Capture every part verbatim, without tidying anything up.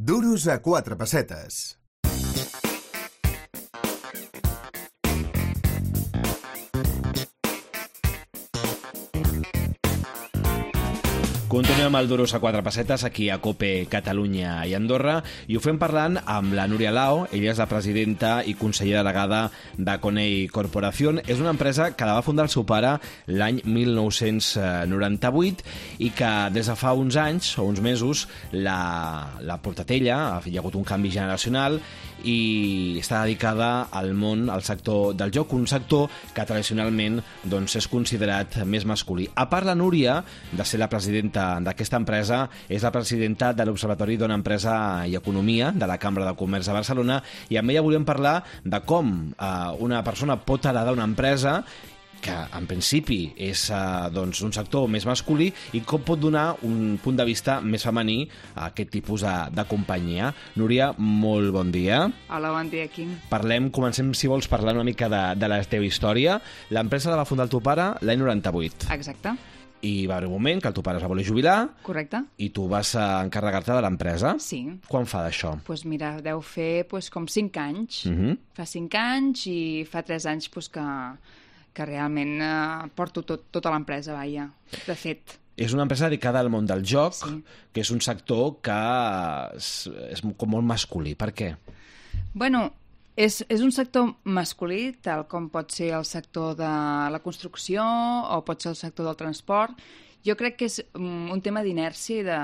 Duros a quatre pessetes. Continuem el Duros a quatre pessetes aquí a COPE Catalunya i Andorra i ho fem parlant amb la Núria Lao. Ella és la presidenta i consellera delegada de Coney Corporación. És una empresa que la va fundar el seu pare l'any mil nou-cents noranta-vuit i que des de fa uns anys o uns mesos la, la portat ella. Hi ha hagut un canvi generacional i està dedicada al món, al sector del joc, un sector que tradicionalment doncs, és considerat més masculí. A part, la Núria, de ser la presidenta d'aquesta empresa, és la presidenta de l'Observatori Dona Empresa i Economia de la Cambra de Comerç de Barcelona, i amb ella volíem parlar de com eh, una persona pot heredar una empresa que en principi és eh, doncs, un sector més masculí i com pot donar un punt de vista més femení a aquest tipus de, de companyia. Núria, molt bon dia. Hola, bon dia, Quim. Parlem, comencem, si vols, parlar una mica de, de la teva història. L'empresa la va fundar el teu pare l'any noranta-vuit. Exacte. I va haver un moment que el teu pare es va voler jubilar. Correcte. I tu vas encarregar-te de l'empresa. Sí. Quan fa d'això? Doncs pues mira, deu fer pues, com cinc anys. Uh -huh. Fa cinc anys i fa tres anys pues, que, que realment eh, porto tot, tota l'empresa, vaja, de fet. És una empresa dedicada al món del joc, Sí. que és un sector que és, és com molt masculí. Per què? Bueno, és, és un sector masculí, tal com pot ser el sector de la construcció o pot ser el sector del transport. Jo crec que és um, un tema d'inèrcia,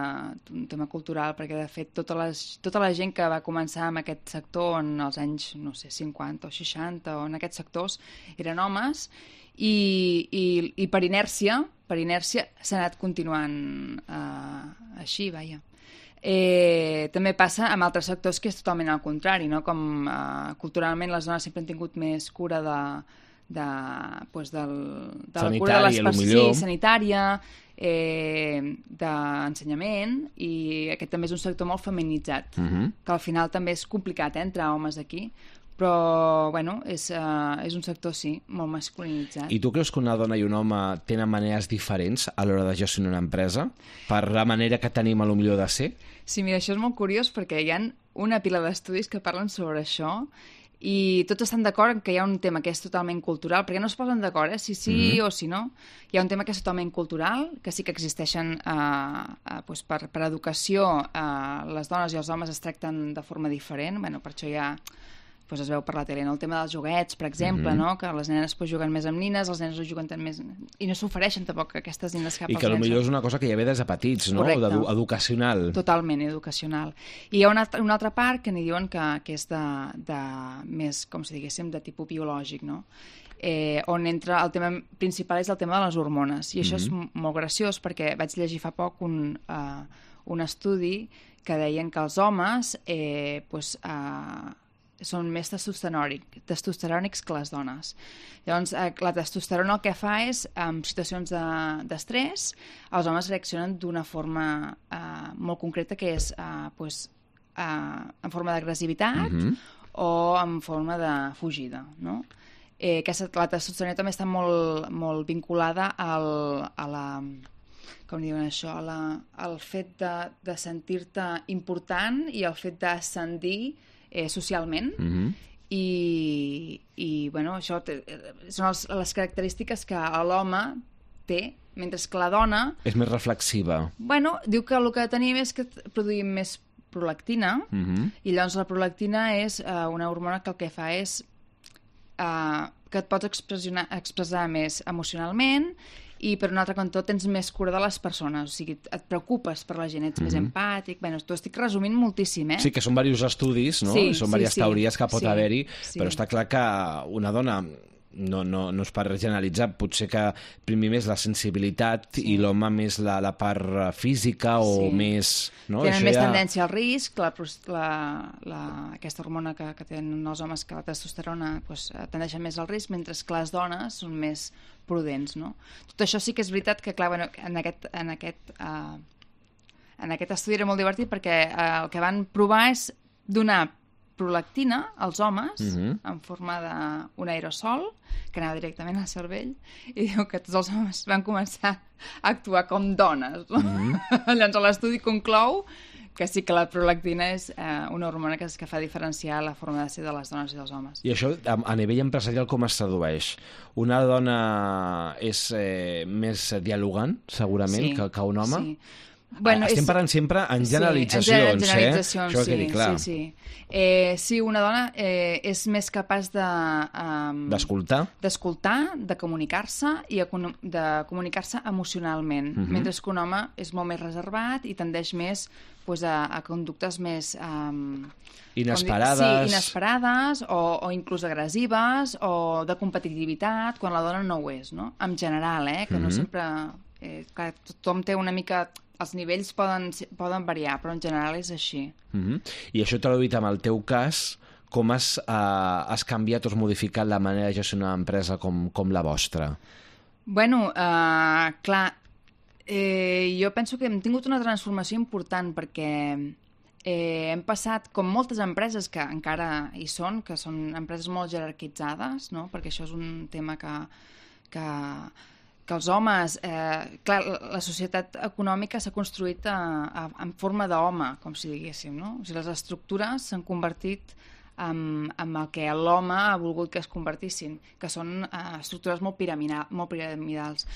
un tema cultural, perquè de fet tota, les, tota la gent que va començar en aquest sector en els anys, no sé, cinquanta o seixanta o en aquests sectors eren homes i, i, i per inèrcia, per inèrcia s'ha anat continuant uh, així, vaja. Eh, també passa amb altres sectors que és totalment al contrari, no? Com eh, culturalment les dones sempre han tingut més cura de, de, pues del, de la cura de les persones, sí, sanitària, eh, d'ensenyament, i aquest també és un sector molt feminitzat, Uh-huh. que al final també és complicat eh, entrar homes aquí, però bueno, és, uh, és un sector, sí, molt masculinitzat. I tu creus que una dona i un home tenen maneres diferents a l'hora de gestionar una empresa per la manera que tenim a lo millor de ser? Sí, mira, això és molt curiós perquè hi ha una pila d'estudis que parlen sobre això i tots estan d'acord que hi ha un tema que és totalment cultural, perquè no es posen d'acord, eh, si sí mm-hmm. o si no. Hi ha un tema que és totalment cultural, que sí que existeixen eh, eh, doncs per, per educació, eh, les dones i els homes es tracten de forma diferent, bueno, per això hi ha... Pues es veu per la tele, no? El tema dels joguets, per exemple, Mm-hmm. no? Que les nenes pues, juguen més amb nines, els nens no juguen tant més... I no s'ofereixen tampoc aquestes nines cap I als que nens. potser és una cosa que ja ve des de petits, no? Correcte. Edu educacional. Totalment educacional. I hi ha una, altra- una altra part que n'hi diuen que, que és de, de més, com si diguéssim, de tipus biològic, no? Eh, on entra el tema principal és el tema de les hormones. I això Mhm. és m- molt graciós perquè vaig llegir fa poc un, uh, un estudi que deien que els homes eh, pues, uh, són més testosterònic, testosterònics que les dones. Llavors, eh, la testosterona el que fa és, en situacions de- d'estrès, els homes reaccionen d'una forma eh, molt concreta, que és eh, pues, eh, en forma d'agressivitat Mhm. o en forma de fugida, no? Eh, aquesta, la testosterona també està molt, molt vinculada al, a la... com diuen això, a la, al fet de, de sentir-te important i el fet d'ascendir eh, socialment. Mhm. I, i bueno, això té, són els, les característiques que l'home té, mentre que la dona, És més reflexiva. bueno, diu que el que tenim és que produïm més prolactina, Mhm. i llavors la prolactina és eh, una hormona que el que fa és eh, que et pots expressar, expressar més emocionalment, i per un altre cantó tens més cura de les persones, o sigui, et preocupes per la gent, ets mm -hmm. més empàtic. Bueno, t'ho estic resumint moltíssim, eh? Sí, que són diversos estudis, no? Sí, són sí, diverses sí. teories que pot Sí, haver-hi, sí. però està clar que una dona... No, no, no és per generalitzar, potser que primer més la sensibilitat Sí. i l'home més la, la part física o Sí. més... No? Tenen Això més ja... tendència al risc, la, pros- la, la, aquesta hormona que, que tenen els homes, que la testosterona, pues, tendeixen més al risc, mentre que les dones són més prudents, no? Tot això sí que és veritat que, clar, bueno, en aquest, en aquest, uh, en aquest estudi era molt divertit perquè uh, el que van provar és donar prolactina als homes Mhm. en forma d'un aerosol que anava directament al cervell, i diu que tots els homes van començar a actuar com dones. No? Mhm. Llavors l'estudi conclou que sí que la prolactina és eh, una hormona que, que fa diferenciar la forma de ser de les dones i dels homes. I això, a, a nivell empresarial, com es tradueix? Una dona és eh, més dialogant, segurament, sí, que, que un home? Sí. Bueno, Estem és... parlant sempre en generalitzacions, sí, en generalitzacions, eh? Això sí, quedi clar. Sí, sí. Eh, sí, una dona eh, és més capaç de... Um, D'escoltar? D'escoltar, de comunicar-se i de comunicar-se emocionalment, uh-huh. mentre que un home és molt més reservat i tendeix més pues, a, a conductes més... Um, inesperades. Sí, inesperades o, o inclús agressives o de competitivitat, quan la dona no ho és, no? En general, eh? Que uh-huh. no sempre... Eh, clar, tothom té una mica... Els nivells poden, poden variar, però en general és així. Uh-huh. I això traduït amb el teu cas, com has, uh, has canviat o has modificat la manera de gestionar una empresa com, com la vostra? Bueno, uh, clar, eh, jo penso que hem tingut una transformació important perquè eh, hem passat, com moltes empreses que encara hi són, que són empreses molt jerarquitzades, no? Perquè això és un tema que... que que els homes... Eh, clar, la societat econòmica s'ha construït a, a, en forma d'home, com si diguéssim, no? O sigui, les estructures s'han convertit en, en el que l'home ha volgut que es convertissin, que són eh, estructures molt, piramidal, molt piramidals.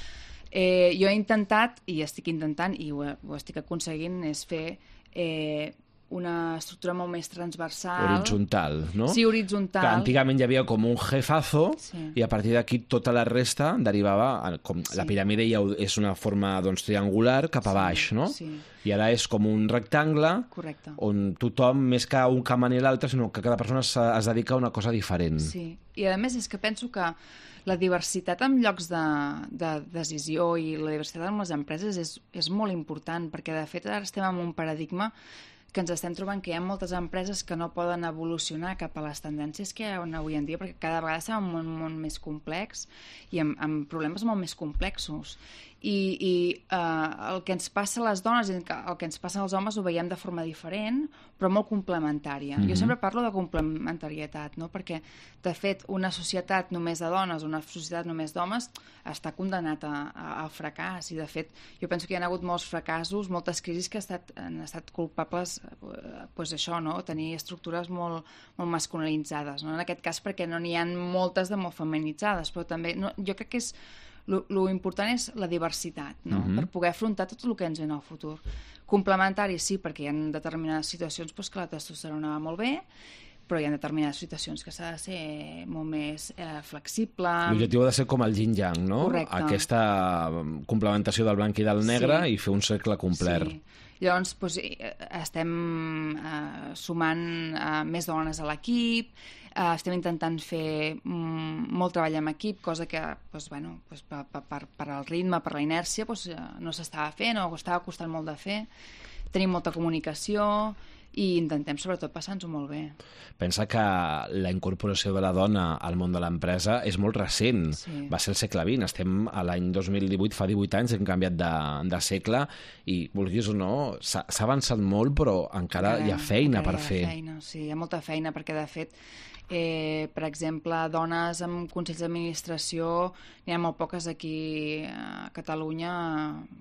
Eh, jo he intentat, i estic intentant, i ho, ho estic aconseguint, és fer... Eh, una estructura molt més transversal. Horitzontal, no? Sí, horitzontal. Que antigament hi havia com un jefazo sí. i a partir d'aquí tota la resta derivava, com sí. la piràmide ja és una forma doncs, triangular cap a baix, sí, no? Sí. I ara és com un rectangle correcte. On tothom, més que un camp i l'altre, sinó que cada persona es, es dedica a una cosa diferent. Sí, i a més és que penso que la diversitat en llocs de, de decisió i la diversitat en les empreses és, és molt important, perquè de fet ara estem en un paradigma que ens estem trobant que hi ha moltes empreses que no poden evolucionar cap a les tendències que hi ha avui en dia, perquè cada vegada estem en un món més complex i amb, amb problemes molt més complexos. I, i eh, el que ens passa a les dones i el que ens passa als homes ho veiem de forma diferent, però molt complementària. Mm-hmm. Jo sempre parlo de complementarietat, no? Perquè, de fet, una societat només de dones, una societat només d'homes, està condemnat a, a, al fracàs. I, de fet, jo penso que hi ha hagut molts fracassos, moltes crisis que ha estat, han estat culpables, eh, pues això, no? Tenir estructures molt, molt masculinitzades. No? En aquest cas, perquè no n'hi ha moltes de molt feminitzades, però també no, jo crec que és lo, lo important és la diversitat, no? Mm-hmm. Per poder afrontar tot el que ens ve en el futur. Complementari, sí, perquè hi ha determinades situacions pues, que la testosterona va molt bé, però hi ha determinades situacions que s'ha de ser molt més eh, flexible. L'objectiu ha de ser com el yin-yang, no? Correcte. Aquesta complementació del blanc i del negre sí. i fer un cercle complet. Sí. Llavors, doncs, estem eh, sumant eh, més dones a l'equip, eh, estem intentant fer mm, molt treball en equip, cosa que doncs, bueno, doncs, per, per, per al ritme, per la inèrcia, doncs, no s'estava fent o estava costant molt de fer. Tenim molta comunicació i intentem, sobretot, passar-nos-ho molt bé. Pensa que la incorporació de la dona al món de l'empresa és molt recent. Sí. Va ser el segle vint. Estem a l'any dos mil divuit, fa divuit anys, hem canviat de, de segle i, vulguis o no, s'ha avançat molt, però encara, encara hi ha feina per fer. Feina, sí, hi ha molta feina, perquè, de fet, eh, per exemple, dones amb consells d'administració, n'hi ha molt poques aquí a Catalunya,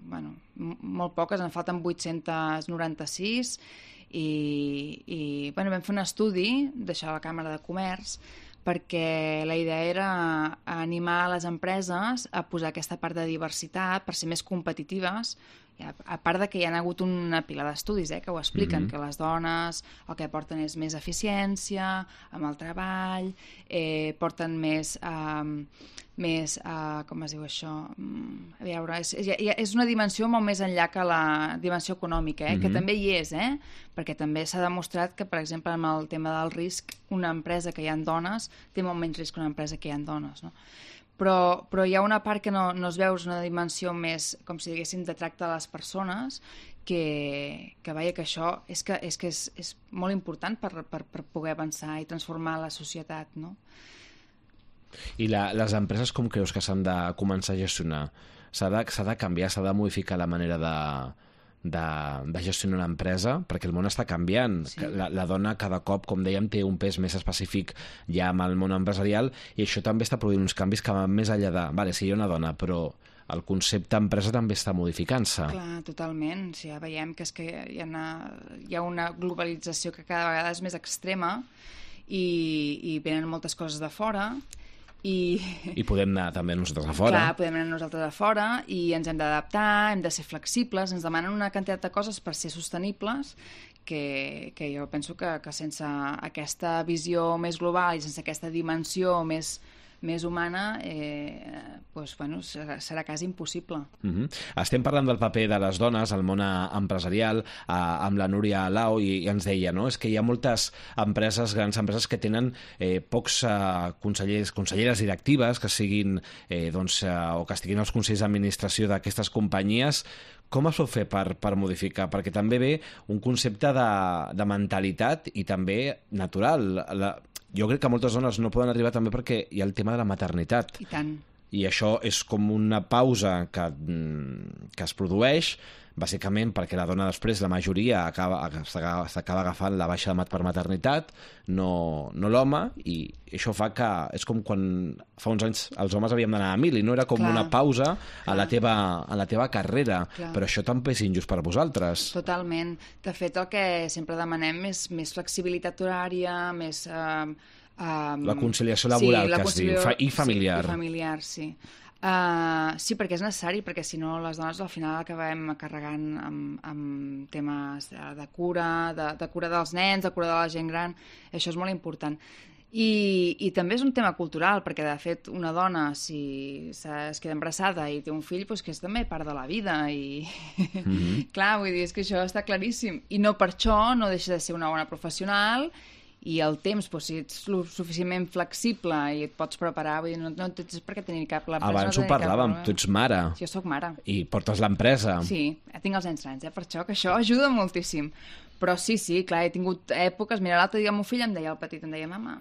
bueno, molt poques, en falten vuit-cents noranta-sis, i, i bueno, vam fer un estudi d'això a la Càmera de Comerç perquè la idea era animar les empreses a posar aquesta part de diversitat per ser més competitives, a part de que hi ha hagut una pila d'estudis eh, que ho expliquen, mm-hmm. que les dones el que porten és més eficiència amb el treball, eh, porten més eh, més, uh, com es diu això, a veure, és, és, és una dimensió molt més enllà que la dimensió econòmica, eh? Mm-hmm. Que també hi és, eh? Perquè també s'ha demostrat que, per exemple, amb el tema del risc, una empresa que hi ha dones té molt menys risc que una empresa que hi ha dones, no? Però, però hi ha una part que no, no es veu, és una dimensió més, com si diguéssim, de tracte de les persones, que, que veia que això és, que, és, que és, és molt important per, per, per poder avançar i transformar la societat, no? I la, les empreses com creus que s'han de començar a gestionar? S'ha de, s'ha de canviar, s'ha de modificar la manera de, de, de gestionar una empresa? Perquè el món està canviant. Sí. La, la dona cada cop, com dèiem, té un pes més específic ja amb el món empresarial i això també està produint uns canvis que van més enllà de... Vale, sí, hi ha una dona, però el concepte empresa també està modificant-se. Clar, totalment. O sigui, ja veiem que, és que hi, ha una, hi ha una globalització que cada vegada és més extrema i, i venen moltes coses de fora. I... I podem anar també nosaltres a fora. Clar, podem anar nosaltres a fora i ens hem d'adaptar, hem de ser flexibles, ens demanen una quantitat de coses per ser sostenibles que, que jo penso que, que sense aquesta visió més global i sense aquesta dimensió més, més humana, eh, doncs, bueno, serà, serà quasi impossible. Uh-huh. Estem parlant del paper de les dones al món empresarial, eh, amb la Núria Lao, i, i ens deia, no?, és que hi ha moltes empreses, grans empreses, que tenen eh, pocs eh, consellers, conselleres directives que siguin, eh, doncs, eh, o que estiguin als consells d'administració d'aquestes companyies. Com es pot fer per, per modificar? Perquè també ve un concepte de, de mentalitat i també natural. La, jo crec que moltes dones no poden arribar també perquè hi ha el tema de la maternitat. I tant. I això és com una pausa que, que es produeix, bàsicament perquè la dona després, la majoria, acaba, s'acaba agafant la baixa per maternitat, no, no l'home, i això fa que és com quan fa uns anys els homes havíem d'anar a mil i no era com clar, una pausa clar. a la teva, a la teva carrera, clar. Però això també és injust per vosaltres. Totalment. De fet, el que sempre demanem és més flexibilitat horària, més... Eh, Um, la conciliació laboral, sí, la que es diu, fa, i familiar. Sí, i familiar, sí. Uh, sí, perquè és necessari, perquè si no les dones al final acabem carregant amb, amb temes de, de cura, de, de cura dels nens, de cura de la gent gran, això és molt important. I, i també és un tema cultural, perquè de fet una dona, si es queda embarassada i té un fill, doncs que és també part de la vida i mm-hmm. clar, vull dir, és que això està claríssim, i no per això no deixa de ser una bona professional. I el temps, doncs, si ets suficientment flexible i et pots preparar, vull dir, no, no tens per què tenir cap... Abans no ho parlàvem, tu ets mare. Sí, jo soc mare. I portes l'empresa. Sí, tinc els nens grans, eh, per això, que això ajuda moltíssim. Però sí, sí, clar, he tingut èpoques... Mira, l'altre dia el meu fill em deia, el petit, em deia, mama,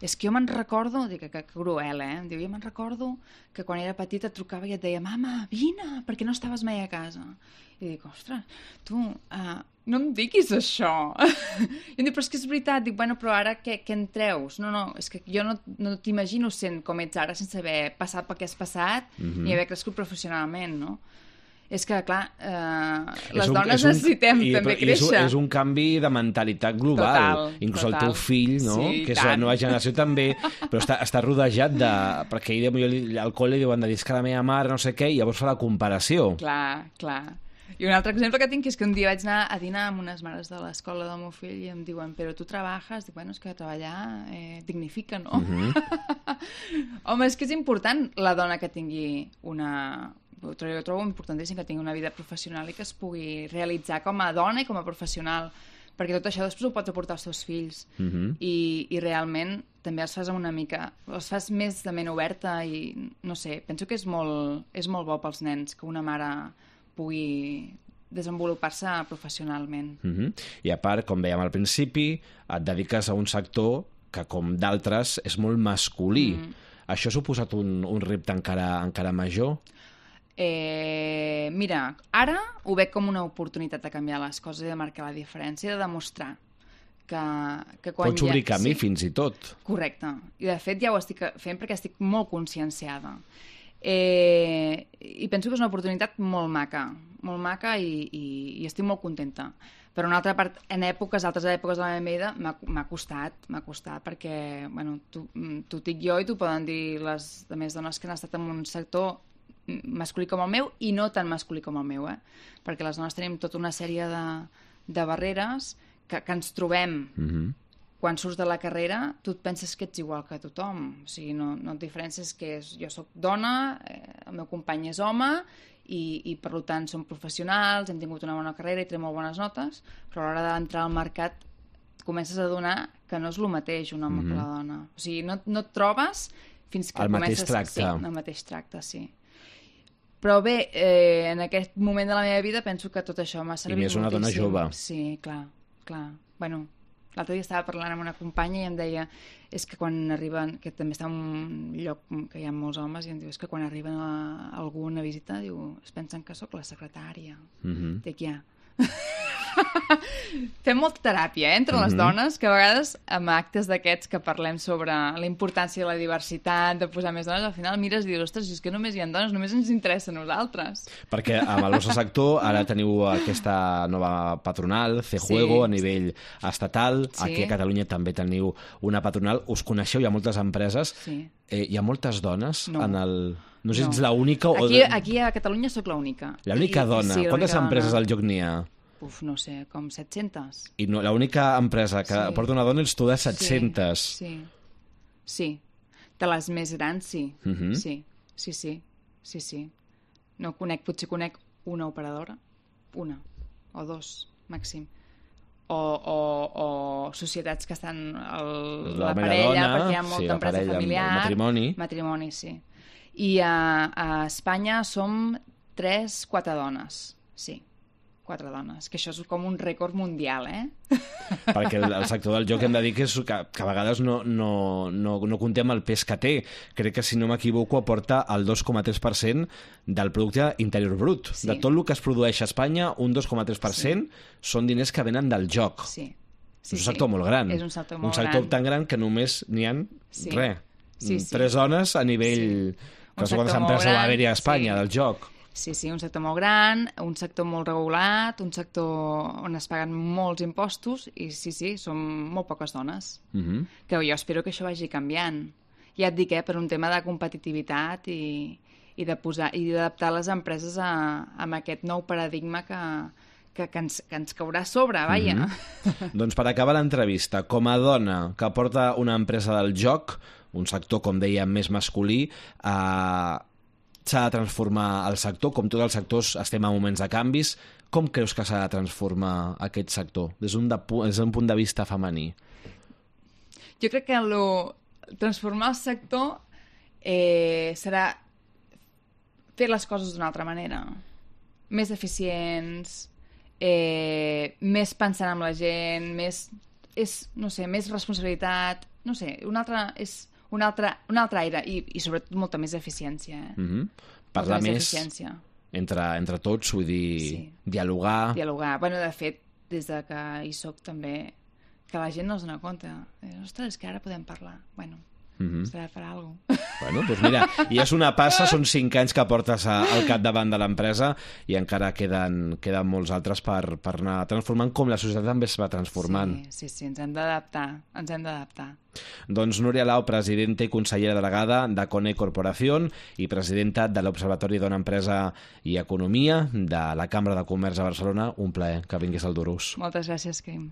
és que jo me'n recordo... Dic, que, que cruel, eh? Em diu, jo me'n recordo que quan era petita et trucava i et deia, mama, vine, perquè no estaves mai a casa. I dic, ostres, tu... Uh, no em diguis això. I em diu, però és que és veritat. Dic, bueno, però ara què, què en treus? No, no, és que jo no, no t'imagino sent com ets ara sense haver passat pel que has passat mm-hmm. ni haver crescut professionalment, no? És que, clar, eh, les un, dones un, necessitem i, també i créixer. És un, és un canvi de mentalitat global. Total, inclús total. El teu fill, no? Sí, que és tant. la nova generació també, però està, està rodejat de... Perquè ell, al col·le diuen de dir que la meva mare no sé què, i llavors fa la comparació. Clar, clar. I un altre exemple que tinc és que un dia vaig anar a dinar amb unes mares de l'escola del meu fill i em diuen, però tu treballes? Dic, bueno, és que treballar eh, dignifica, no? Uh-huh. Home, és que és important la dona que tingui una... Jo trobo importantíssim que tingui una vida professional i que es pugui realitzar com a dona i com a professional, perquè tot això després ho pots aportar als teus fills. Uh-huh. I, i realment també els fas amb una mica... els fas més de ment oberta i, no sé, penso que és molt, és molt bo pels nens que una mare pugui desenvolupar-se professionalment. Uh-huh. I a part, com dèiem al principi, et dediques a un sector que, com d'altres, és molt masculí. Mm. Això ha suposat un, un repte encara, encara major? Eh, mira, ara ho veig com una oportunitat de canviar les coses i de marcar la diferència, de demostrar que, que quan pots obrir ja... camí, sí, fins i tot. Correcte. I de fet ja ho estic fent perquè estic molt conscienciada. Eh, i penso que és una oportunitat molt maca, molt maca i, i, i estic molt contenta. Per una altra part, en èpoques, altres èpoques de la meva vida, m'ha costat, m'ha costat, perquè, bueno, tu, tu dic jo i t'ho poden dir les demés dones que han estat en un sector masculí com el meu i no tan masculí com el meu, eh? Perquè les dones tenim tota una sèrie de, de barreres que, que ens trobem. Mm-hmm. Quan surts de la carrera, tu et penses que ets igual que tothom. O sigui, no, no et diferències que és, jo sóc dona, eh, el meu company és home, i, i per tant som professionals, hem tingut una bona carrera i tenim molt bones notes, però a l'hora d'entrar al mercat comences a adonar que no és el mateix un home mm-hmm. que la dona. O sigui, no, no et trobes fins que el comences... mateix tracte. Sí, el mateix tracte, sí. Però bé, eh, en aquest moment de la meva vida penso que tot això m'ha servit moltíssim. I més una dona jove. Sí, clar, clar. Bueno, l'altre dia estava parlant amb una companya i em deia és que quan arriben, que també està en un lloc que hi ha molts homes, i em diu, és que quan arriben a algú a visita, diu, es pensen que sóc la secretària. Mm-hmm. Dic, ja. Fem molta teràpia, eh, entre les Mhm. dones, que a vegades amb actes d'aquests que parlem sobre la importància de la diversitat, de posar més dones, al final mires i dius, ostres, si és que només hi ha dones, només ens interessa a nosaltres. Perquè amb el vostre sector ara teniu aquesta nova patronal, C-Juego, Sí. a nivell estatal. Sí. Aquí a Catalunya també teniu una patronal. Us coneixeu, hi ha moltes empreses. Sí. Eh, hi ha moltes dones No. en el... No sé si No. ets l'única o... Aquí, aquí a Catalunya sóc l'única. L'única I- dona. sí, Quantes l'única empreses dona. al joc n'hi ha? Uf, no sé, com set-centes. I no, l'única empresa que Sí. porta una dona ets tu de set-centes. Sí, sí. Sí. De les més grans, sí. Mhm. Sí, sí, sí. Sí, sí. No conec, potser conec una operadora. Una. O dos, màxim. O, o, o societats que estan el, La la, meva parella, dona, perquè hi ha sí, molta la empresa parella, el familiar. matrimoni. Matrimoni, sí. I a, a Espanya som tres, quatre dones. Sí, quatre dones. Que això és com un rècord mundial, eh? Perquè el, el sector del joc hem de dir que, és, que, que a vegades no, no, no, no comptem el pes que té. Crec que, si no m'equivoco, aporta el dos coma tres per cent del producte interior brut. Sí. De tot el que es produeix a Espanya, un dos coma tres per cent són diners que venen del joc. Sí. és un sector molt gran. És un sector molt un sector gran. tan gran que només n'hi ha Sí. res. Sí, sí. Tres dones a nivell... Sí. Que Un no sé quantes sector molt empreses va gran, haver-hi a Espanya sí. del joc. Sí, sí, un sector molt gran, un sector molt regulat, un sector on es paguen molts impostos i sí, sí, som molt poques dones. Mhm. Que jo espero que això vagi canviant. Ja et dic, eh, per un tema de competitivitat i, i de posar i d'adaptar les empreses a, a aquest nou paradigma que, que, que, ens, que ens caurà a sobre, vaja. Mhm. Doncs per acabar l'entrevista, com a dona que porta una empresa del joc, un sector, com dèiem, més masculí, eh, s'ha de transformar el sector, com tots els sectors estem a moments de canvis. Com creus que s'ha de transformar aquest sector des d'un de, des d'un punt de vista femení? Jo crec que lo, transformar el sector eh, serà fer les coses d'una altra manera. Més eficients, eh, més pensant en la gent, més, és, no sé, més responsabilitat, no sé, un altre, és un altre, un altre aire i, i sobretot molta més eficiència. Eh? Mhm. Parlar Molta més eficiència. entre, entre tots, vull dir, Sí. dialogar... Dialogar. Bueno, de fet, des de que hi soc també, que la gent no es dona compte. Eh, Ostres, és que ara podem parlar. Bueno, Mhm. serà per alguna cosa. Bueno, doncs mira, i és una passa, són cinc anys que portes a, al capdavant de l'empresa i encara queden, queden molts altres per, per anar transformant com la societat també es va transformant. Sí, sí, sí, ens hem d'adaptar, ens hem d'adaptar. Doncs Núria Lau, presidenta i consellera delegada de Cone Corporación i presidenta de l'Observatori Dona Empresa i Economia de la Cambra de Comerç de Barcelona, un plaer que vingués al Durús. Moltes gràcies, Quim.